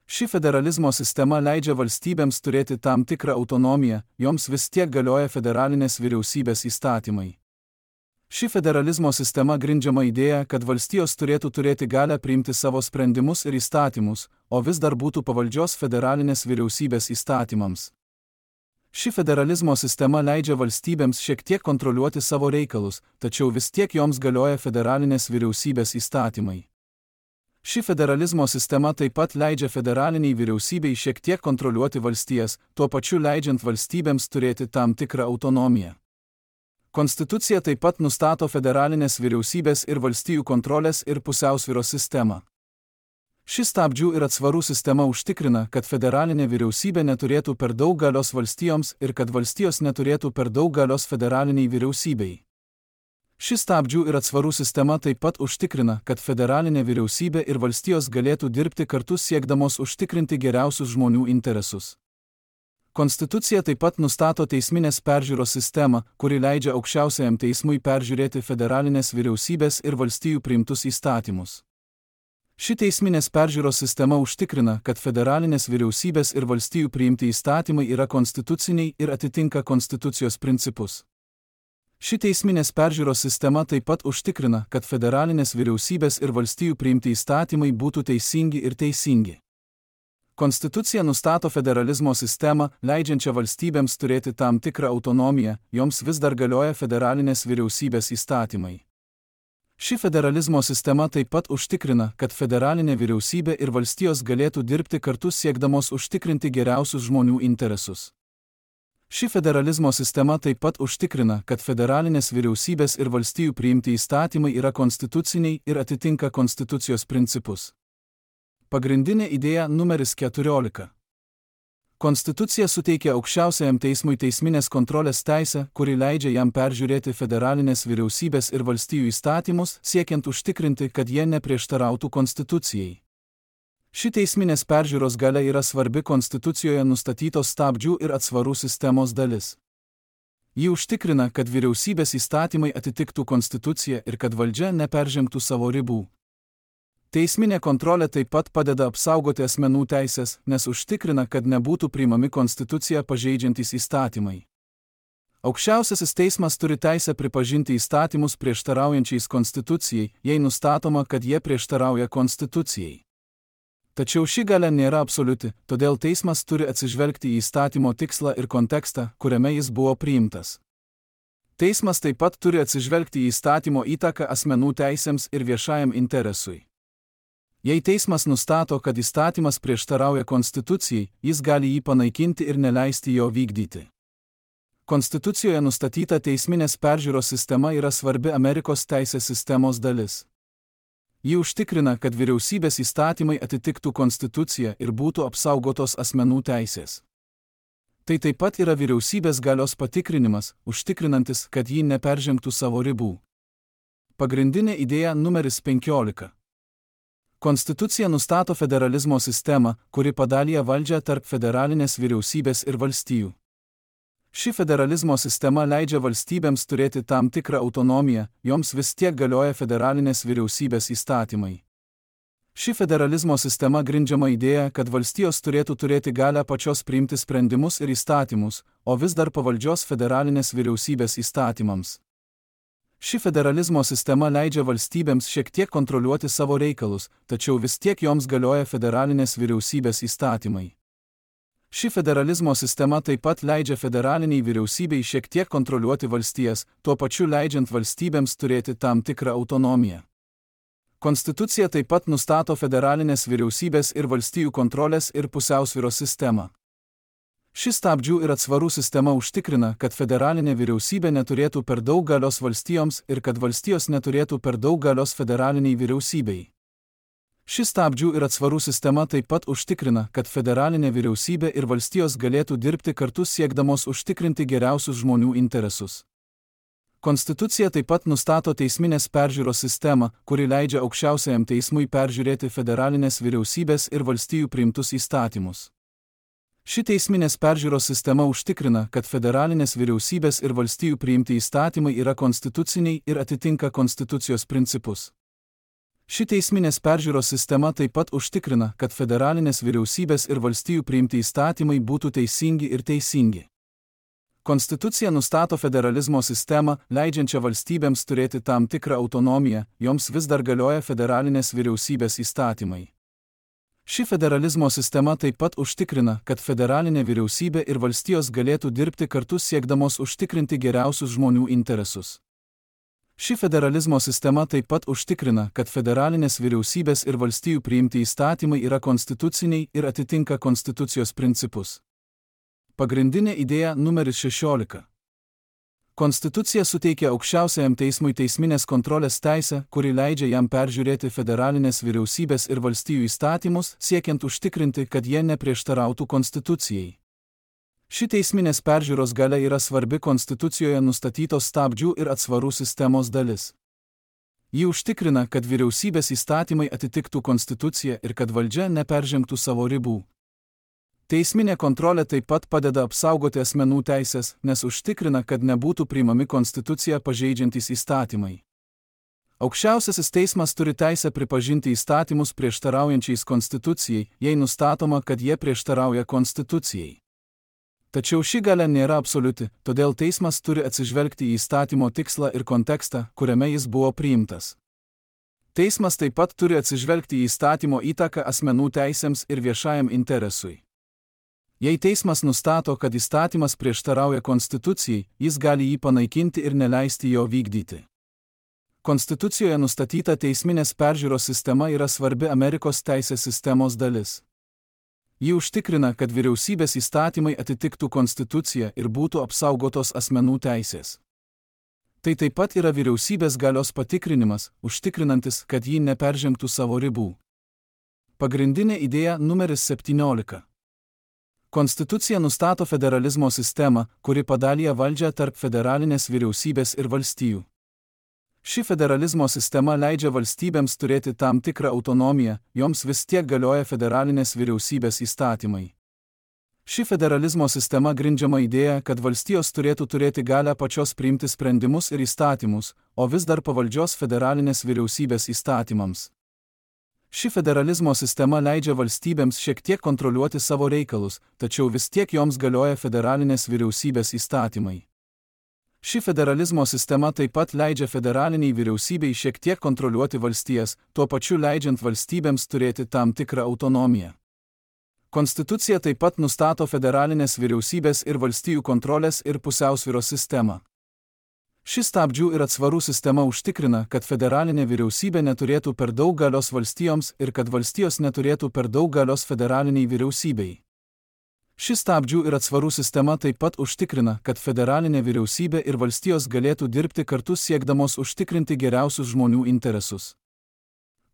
Ši federalizmo sistema leidžia valstybėms turėti tam tikrą autonomiją, joms vis tiek galioja federalinės vyriausybės įstatymai. Ši federalizmo sistema grindžiama idėja, kad valstijos turėtų turėti galią priimti savo sprendimus ir įstatymus, o vis dar būtų pavaldžios federalinės vyriausybės įstatymams. Ši federalizmo sistema leidžia valstybėms šiek tiek kontroliuoti savo reikalus, tačiau vis tiek joms galioja federalinės vyriausybės įstatymai. Ši federalizmo sistema taip pat leidžia federaliniai vyriausybei šiek tiek kontroliuoti valstijas, tuo pačiu leidžiant valstybėms turėti tam tikrą autonomiją. Konstitucija taip pat nustato federalinės vyriausybės ir valstijų kontrolės ir pusiausvyros sistemą. Ši stabdžių ir atsvarų sistema užtikrina, kad federalinė vyriausybė neturėtų per daug galios valstijoms ir kad valstijos neturėtų per daug galios federaliniai vyriausybei. Ši stabdžių ir atsvarų sistema taip pat užtikrina, kad federalinė vyriausybė ir valstijos galėtų dirbti kartu siekdamos užtikrinti geriausius žmonių interesus. Konstitucija taip pat nustato teisminės peržiūros sistemą, kuri leidžia aukščiausiajam teismui peržiūrėti federalinės vyriausybės ir valstijų priimtus įstatymus. Ši teisminės peržiūros sistema užtikrina, kad federalinės vyriausybės ir valstijų priimti įstatymai yra konstituciniai ir atitinka konstitucijos principus. Ši teisminės peržiūros sistema taip pat užtikrina, kad federalinės vyriausybės ir valstijų priimti įstatymai būtų teisingi ir teisingi. Konstitucija nustato federalizmo sistemą, leidžiančią valstybėms turėti tam tikrą autonomiją, joms vis dar galioja federalinės vyriausybės įstatymai. Ši federalizmo sistema taip pat užtikrina, kad federalinė vyriausybė ir valstijos galėtų dirbti kartu siekdamos užtikrinti geriausius žmonių interesus. Ši federalizmo sistema taip pat užtikrina, kad federalinės vyriausybės ir valstijų priimti įstatymai yra konstituciniai ir atitinka konstitucijos principus. Pagrindinė idėja numeris 14. Konstitucija suteikia aukščiausiajam teismui teisminės kontrolės teisę, kuri leidžia jam peržiūrėti federalinės vyriausybės ir valstijų įstatymus, siekiant užtikrinti, kad jie neprieštarautų konstitucijai. Ši teisminės peržiūros galia yra svarbi konstitucijoje nustatytos stabdžių ir atsvarų sistemos dalis. Ji užtikrina, kad vyriausybės įstatymai atitiktų konstituciją ir kad valdžia neperžengtų savo ribų. Teisminė kontrolė taip pat padeda apsaugoti asmenų teisės, nes užtikrina, kad nebūtų priimami konstituciją pažeidžiantys įstatymai. Aukščiausiasis teismas turi teisę pripažinti įstatymus prieštaraujančiais konstitucijai, jei nustatoma, kad jie prieštarauja konstitucijai. Tačiau ši galia nėra absoliuti, todėl teismas turi atsižvelgti į įstatymo tikslą ir kontekstą, kuriame jis buvo priimtas. Teismas taip pat turi atsižvelgti į įstatymo įtaką asmenų teisėms ir viešajam interesui. Jei teismas nustato, kad įstatymas prieštarauja konstitucijai, jis gali jį panaikinti ir neleisti jo vykdyti. Konstitucijoje nustatyta teisminės peržiūros sistema yra svarbi Amerikos teisės sistemos dalis. Ji užtikrina, kad vyriausybės įstatymai atitiktų konstituciją ir būtų apsaugotos asmenų teisės. Tai taip pat yra vyriausybės galios patikrinimas, užtikrinantis, kad ji neperžengtų savo ribų. Pagrindinė idėja numeris 15. Konstitucija nustato federalizmo sistemą, kuri padalija valdžią tarp federalinės vyriausybės ir valstijų. Ši federalizmo sistema leidžia valstybėms turėti tam tikrą autonomiją, joms vis tiek galioja federalinės vyriausybės įstatymai. Ši federalizmo sistema grindžiama idėja, kad valstijos turėtų turėti galią pačios priimti sprendimus ir įstatymus, o vis dar pavaldžios federalinės vyriausybės įstatymams. Ši federalizmo sistema leidžia valstybėms šiek tiek kontroliuoti savo reikalus, tačiau vis tiek joms galioja federalinės vyriausybės įstatymai. Ši federalizmo sistema taip pat leidžia federaliniai vyriausybei šiek tiek kontroliuoti valstijas, tuo pačiu leidžiant valstybėms turėti tam tikrą autonomiją. Konstitucija taip pat nustato federalinės vyriausybės ir valstijų kontrolės ir pusiausvyros sistemą. Ši stabdžių ir atsvarų sistema užtikrina, kad federalinė vyriausybė neturėtų per daug galios valstijoms ir kad valstijos neturėtų per daug galios federaliniai vyriausybei. Ši stabdžių ir atsvarų sistema taip pat užtikrina, kad federalinė vyriausybė ir valstijos galėtų dirbti kartu siekdamos užtikrinti geriausius žmonių interesus. Konstitucija taip pat nustato teisminės peržiūros sistemą, kuri leidžia aukščiausiajam teismui peržiūrėti federalinės vyriausybės ir valstijų priimtus įstatymus. Ši teisminės peržiūros sistema užtikrina, kad federalinės vyriausybės ir valstijų priimti įstatymai yra konstituciniai ir atitinka konstitucijos principus. Ši teisminės peržiūros sistema taip pat užtikrina, kad federalinės vyriausybės ir valstijų priimti įstatymai būtų teisingi ir teisingi. Konstitucija nustato federalizmo sistemą, leidžiančią valstybėms turėti tam tikrą autonomiją, joms vis dar galioja federalinės vyriausybės įstatymai. Ši federalizmo sistema taip pat užtikrina, kad federalinė vyriausybė ir valstijos galėtų dirbti kartu siekdamos užtikrinti geriausius žmonių interesus. Ši federalizmo sistema taip pat užtikrina, kad federalinės vyriausybės ir valstijų priimti įstatymai yra konstituciniai ir atitinka konstitucijos principus. Pagrindinė idėja numeris 16. Konstitucija suteikia aukščiausiajam teismui teisminės kontrolės teisę, kuri leidžia jam peržiūrėti federalinės vyriausybės ir valstijų įstatymus, siekiant užtikrinti, kad jie neprieštarautų konstitucijai. Ši teisminės peržiūros galia yra svarbi konstitucijoje nustatytos stabdžių ir atsvarų sistemos dalis. Ji užtikrina, kad vyriausybės įstatymai atitiktų konstituciją ir kad valdžia neperžengtų savo ribų. Teisminė kontrolė taip pat padeda apsaugoti asmenų teisės, nes užtikrina, kad nebūtų priimami konstituciją pažeidžiantys įstatymai. Aukščiausiasis teismas turi teisę pripažinti įstatymus prieštaraujančiais konstitucijai, jei nustatoma, kad jie prieštarauja konstitucijai. Tačiau ši galia nėra absoliuti, todėl teismas turi atsižvelgti į įstatymo tikslą ir kontekstą, kuriame jis buvo priimtas. Teismas taip pat turi atsižvelgti į įstatymo įtaką asmenų teisėms ir viešajam interesui. Jei teismas nustato, kad įstatymas prieštarauja konstitucijai, jis gali jį panaikinti ir neleisti jo vykdyti. Konstitucijoje nustatyta teisminės peržiūros sistema yra svarbi Amerikos teisės sistemos dalis. Ji užtikrina, kad vyriausybės įstatymai atitiktų konstituciją ir būtų apsaugotos asmenų teisės. Tai taip pat yra vyriausybės galios patikrinimas, užtikrinantis, kad ji neperžengtų savo ribų. Pagrindinė idėja numeris 17. Konstitucija nustato federalizmo sistemą, kuri padalija valdžią tarp federalinės vyriausybės ir valstijų. Ši federalizmo sistema leidžia valstybėms turėti tam tikrą autonomiją, joms vis tiek galioja federalinės vyriausybės įstatymai. Ši federalizmo sistema grindžiama idėja, kad valstijos turėtų turėti galią pačios priimti sprendimus ir įstatymus, o vis dar pavaldžios federalinės vyriausybės įstatymams. Ši federalizmo sistema leidžia valstybėms šiek tiek kontroliuoti savo reikalus, tačiau vis tiek joms galioja federalinės vyriausybės įstatymai. Ši federalizmo sistema taip pat leidžia federaliniai vyriausybei šiek tiek kontroliuoti valstijas, tuo pačiu leidžiant valstybėms turėti tam tikrą autonomiją. Konstitucija taip pat nustato federalinės vyriausybės ir valstijų kontrolės ir pusiausvyros sistemą. Ši stabdžių ir atsvarų sistema užtikrina, kad federalinė vyriausybė neturėtų per daug galios valstijoms ir kad valstijos neturėtų per daug galios federaliniai vyriausybei. Ši stabdžių ir atsvarų sistema taip pat užtikrina, kad federalinė vyriausybė ir valstijos galėtų dirbti kartu siekdamos užtikrinti geriausius žmonių interesus.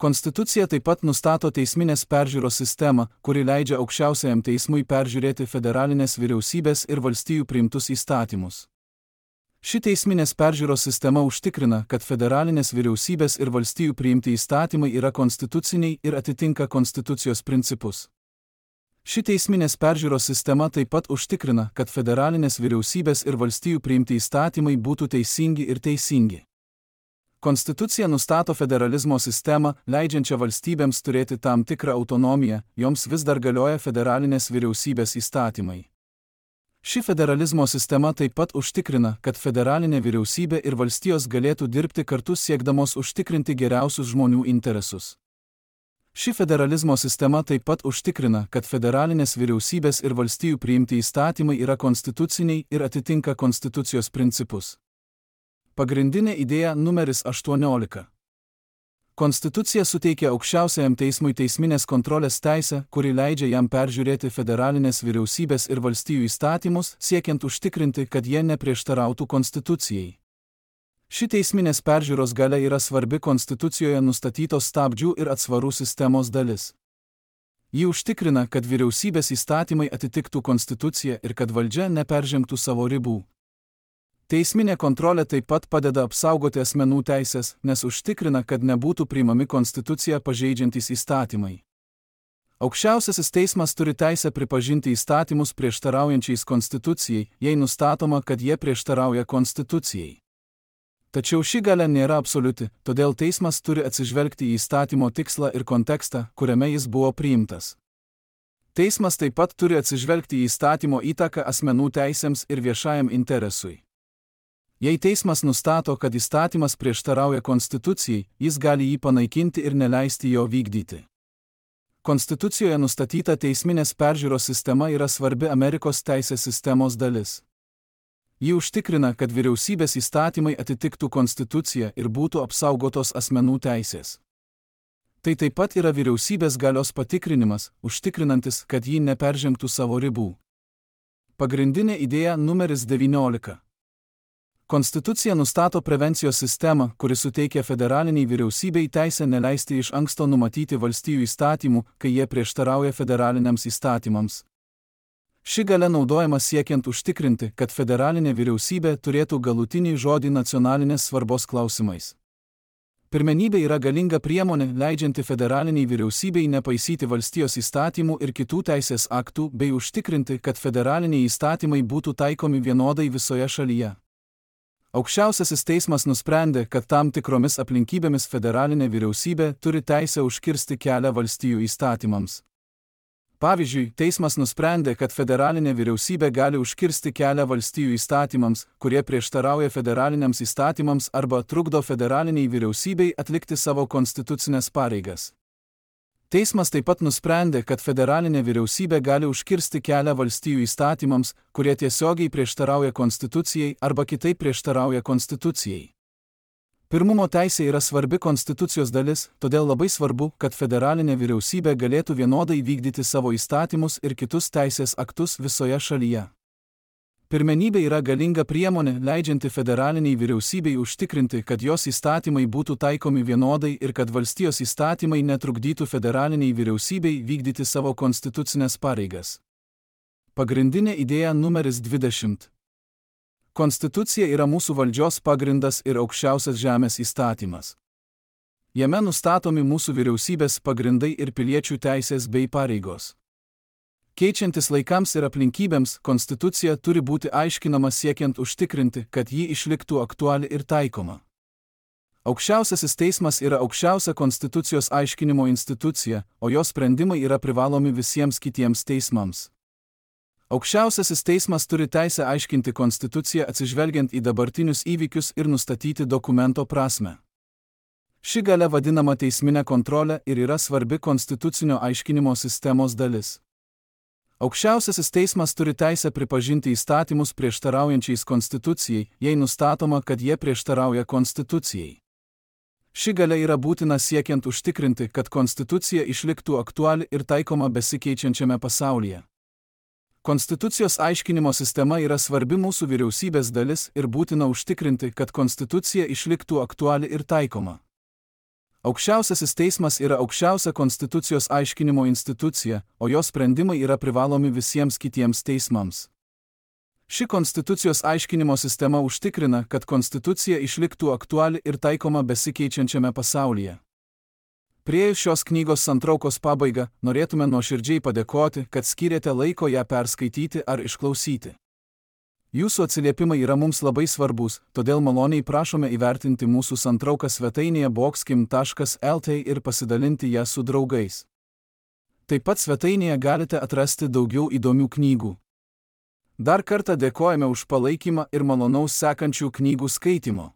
Konstitucija taip pat nustato teisminės peržiūros sistemą, kuri leidžia aukščiausiajam teismui peržiūrėti federalinės vyriausybės ir valstijų priimtus įstatymus. Ši teisminės peržiūros sistema užtikrina, kad federalinės vyriausybės ir valstijų priimti įstatymai yra konstituciniai ir atitinka konstitucijos principus. Ši teisminės peržiūros sistema taip pat užtikrina, kad federalinės vyriausybės ir valstijų priimti įstatymai būtų teisingi ir teisingi. Konstitucija nustato federalizmo sistemą, leidžiančią valstybėms turėti tam tikrą autonomiją, joms vis dar galioja federalinės vyriausybės įstatymai. Ši federalizmo sistema taip pat užtikrina, kad federalinė vyriausybė ir valstijos galėtų dirbti kartu siekdamos užtikrinti geriausius žmonių interesus. Ši federalizmo sistema taip pat užtikrina, kad federalinės vyriausybės ir valstijų priimti įstatymai yra konstituciniai ir atitinka konstitucijos principus. Pagrindinė idėja numeris 18. Konstitucija suteikia aukščiausiajam teismui teisminės kontrolės teisę, kuri leidžia jam peržiūrėti federalinės vyriausybės ir valstijų įstatymus, siekiant užtikrinti, kad jie neprieštarautų konstitucijai. Ši teisminės peržiūros galia yra svarbi konstitucijoje nustatytos stabdžių ir atsvarų sistemos dalis. Ji užtikrina, kad vyriausybės įstatymai atitiktų konstituciją ir kad valdžia neperžengtų savo ribų. Teisminė kontrolė taip pat padeda apsaugoti asmenų teisės, nes užtikrina, kad nebūtų priimami konstituciją pažeidžiantys įstatymai. Aukščiausiasis teismas turi teisę pripažinti įstatymus prieštaraujančiais konstitucijai, jei nustatoma, kad jie prieštarauja konstitucijai. Tačiau ši galia nėra absoliuti, todėl teismas turi atsižvelgti į įstatymo tikslą ir kontekstą, kuriame jis buvo priimtas. Teismas taip pat turi atsižvelgti į įstatymo įtaką asmenų teisėms ir viešajam interesui. Jei teismas nustato, kad įstatymas prieštarauja konstitucijai, jis gali jį panaikinti ir neleisti jo vykdyti. Konstitucijoje nustatyta teisminės peržiūros sistema yra svarbi Amerikos teisės sistemos dalis. Ji užtikrina, kad vyriausybės įstatymai atitiktų konstituciją ir būtų apsaugotos asmenų teisės. Tai taip pat yra vyriausybės galios patikrinimas, užtikrinantis, kad ji neperžengtų savo ribų. Pagrindinė idėja numeris 19. Konstitucija nustato prevencijos sistemą, kuri suteikia federaliniai vyriausybei teisę neleisti iš anksto numatyti valstijų įstatymų, kai jie prieštarauja federaliniams įstatymams. Ši galia naudojama siekiant užtikrinti, kad federalinė vyriausybė turėtų galutinį žodį nacionalinės svarbos klausimais. Pirmenybė yra galinga priemonė, leidžianti federaliniai vyriausybei nepaisyti valstijos įstatymų ir kitų teisės aktų bei užtikrinti, kad federaliniai įstatymai būtų taikomi vienodai visoje šalyje. Aukščiausiasis teismas nusprendė, kad tam tikromis aplinkybėmis federalinė vyriausybė turi teisę užkirsti kelią valstijų įstatymams. Pavyzdžiui, teismas nusprendė, kad federalinė vyriausybė gali užkirsti kelią valstijų įstatymams, kurie prieštarauja federaliniams įstatymams arba trukdo federaliniai vyriausybei atlikti savo konstitucinės pareigas. Teismas taip pat nusprendė, kad federalinė vyriausybė gali užkirsti kelią valstijų įstatymams, kurie tiesiogiai prieštarauja konstitucijai arba kitaip prieštarauja konstitucijai. Pirmumo teisė yra svarbi konstitucijos dalis, todėl labai svarbu, kad federalinė vyriausybė galėtų vienodai vykdyti savo įstatymus ir kitus teisės aktus visoje šalyje. Pirmenybė yra galinga priemonė, leidžianti federaliniai vyriausybei užtikrinti, kad jos įstatymai būtų taikomi vienodai ir kad valstijos įstatymai netrukdytų federaliniai vyriausybei vykdyti savo konstitucinės pareigas. Pagrindinė idėja numeris 20. Konstitucija yra mūsų valdžios pagrindas ir aukščiausias žemės įstatymas. Jame nustatomi mūsų vyriausybės pagrindai ir piliečių teisės bei pareigos. Keičiantis laikams ir aplinkybėms, konstitucija turi būti aiškinama siekiant užtikrinti, kad ji išliktų aktuali ir taikoma. Aukščiausiasis teismas yra aukščiausia konstitucijos aiškinimo institucija, o jos sprendimai yra privalomi visiems kitiems teismams. Aukščiausiasis teismas turi teisę aiškinti konstituciją atsižvelgiant į dabartinius įvykius ir nustatyti dokumento prasmę. Ši galia vadinama teisminė kontrolė ir yra svarbi konstitucinio aiškinimo sistemos dalis. Aukščiausiasis teismas turi teisę pripažinti įstatymus prieštaraujančiais konstitucijai, jei nustatoma, kad jie prieštarauja konstitucijai. Ši galia yra būtina siekiant užtikrinti, kad konstitucija išliktų aktuali ir taikoma besikeičiančiame pasaulyje. Konstitucijos aiškinimo sistema yra svarbi mūsų vyriausybės dalis ir būtina užtikrinti, kad konstitucija išliktų aktuali ir taikoma. Aukščiausiasis teismas yra aukščiausia konstitucijos aiškinimo institucija, o jos sprendimai yra privalomi visiems kitiems teismams. Ši konstitucijos aiškinimo sistema užtikrina, kad konstitucija išliktų aktuali ir taikoma besikeičiančiame pasaulyje. Priėjus šios knygos santraukos pabaigą, norėtume nuoširdžiai padėkoti, kad skyrėte laiko ją perskaityti ar išklausyti. Jūsų atsiliepimai yra mums labai svarbus, todėl maloniai prašome įvertinti mūsų santrauką svetainėje boxkim.lt ir pasidalinti ją su draugais. Taip pat svetainėje galite atrasti daugiau įdomių knygų. Dar kartą dėkojame už palaikymą ir malonaus sekančių knygų skaitimo.